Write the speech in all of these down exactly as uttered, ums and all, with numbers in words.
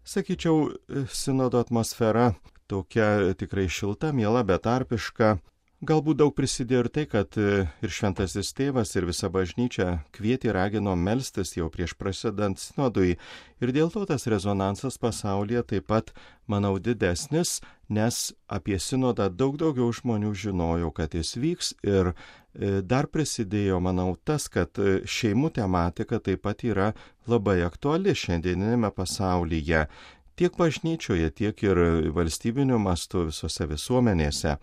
Sakyčiau, sinodo atmosfera tokia tikrai šilta, miela, betarpiška. Galbūt daug prisidėjo ir tai, kad ir šventasis tėvas, ir visa bažnyčia kvietė ragino melstis jau prieš prasidant sinodui. Ir dėl to tas rezonansas pasaulyje taip pat, manau, didesnis, nes apie sinodą daug daugiau žmonių žinojo, kad jis vyks. Ir dar prisidėjo, manau, tas, kad šeimų tematika taip pat yra labai aktuali šiandieninėme pasaulyje. Tiek bažnyčioje, tiek ir valstybiniu mastu visose visuomenėse.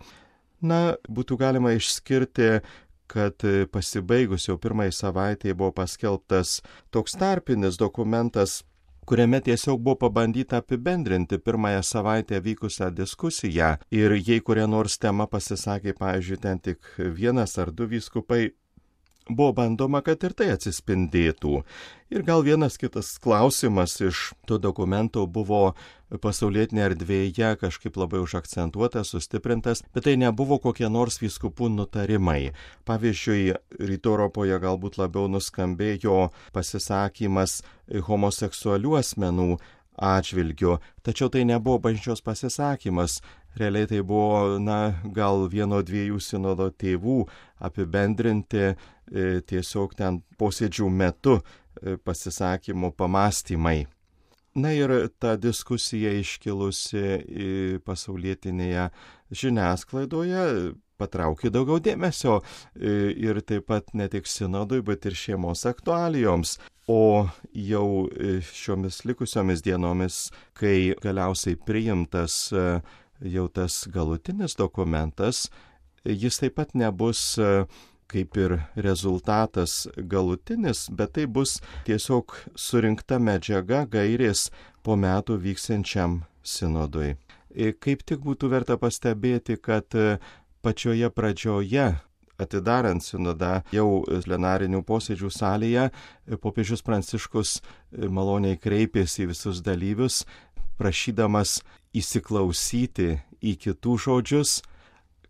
Na, būtų galima išskirti, kad pasibaigus jau pirmai savaitėje buvo paskelbtas toks tarpinis dokumentas, kuriame tiesiog buvo pabandyta apibendrinti pirmąją savaitę vykusią diskusiją. Ir jei kuria nors tema pasisakė, pavyzdžiui, ten tik vienas ar du vyskupai, buvo bandoma, kad ir tai atsispindėtų. Ir gal vienas kitas klausimas iš to dokumento buvo pasaulietinėje erdvėje kažkaip labai užakcentuotas, sustiprintas, bet tai nebuvo kokie nors vyskupų nutarimai. Pavyzdžiui, Rytų Europoje galbūt labiau nuskambėjo pasisakymas homoseksualių asmenų atžvilgiu, tačiau tai nebuvo bažnyčios pasisakymas. Realiai tai buvo, na, gal vieno dviejų sinodo tėvų apibendrinti e, tiesiog ten posėdžių metu e, pasisakymų pamastymai. Na ir ta diskusija iškilusi pasaulietinėje žiniasklaidoje patraukė daugiau dėmesio e, ir taip pat ne tik sinodui, bet ir šeimos aktualijoms. O jau šiomis likusiomis dienomis, kai galiausiai priimtas jau tas galutinis dokumentas, jis taip pat nebus kaip ir rezultatas galutinis, bet tai bus tiesiog surinkta medžiaga gairės po metų vyksiančiam sinodui. Kaip tik būtų verta pastebėti, kad pačioje pradžioje, atidarant sinodą jau plenarinių posėdžių salėje, popiežius Pranciškus maloniai kreipėsi į visus dalyvius, prašydamas įsiklausyti į kitų žodžius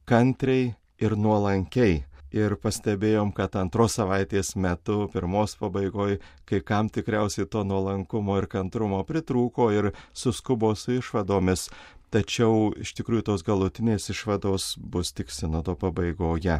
kantriai ir nuolankiai. Ir pastebėjom, kad antros savaitės metu, pirmos pabaigoje, kai kam tikriausiai to nuolankumo ir kantrumo pritrūko ir suskubo su išvadomis. Tačiau iš tikrųjų tos galutinės išvados bus tik sinodo pabaigoje.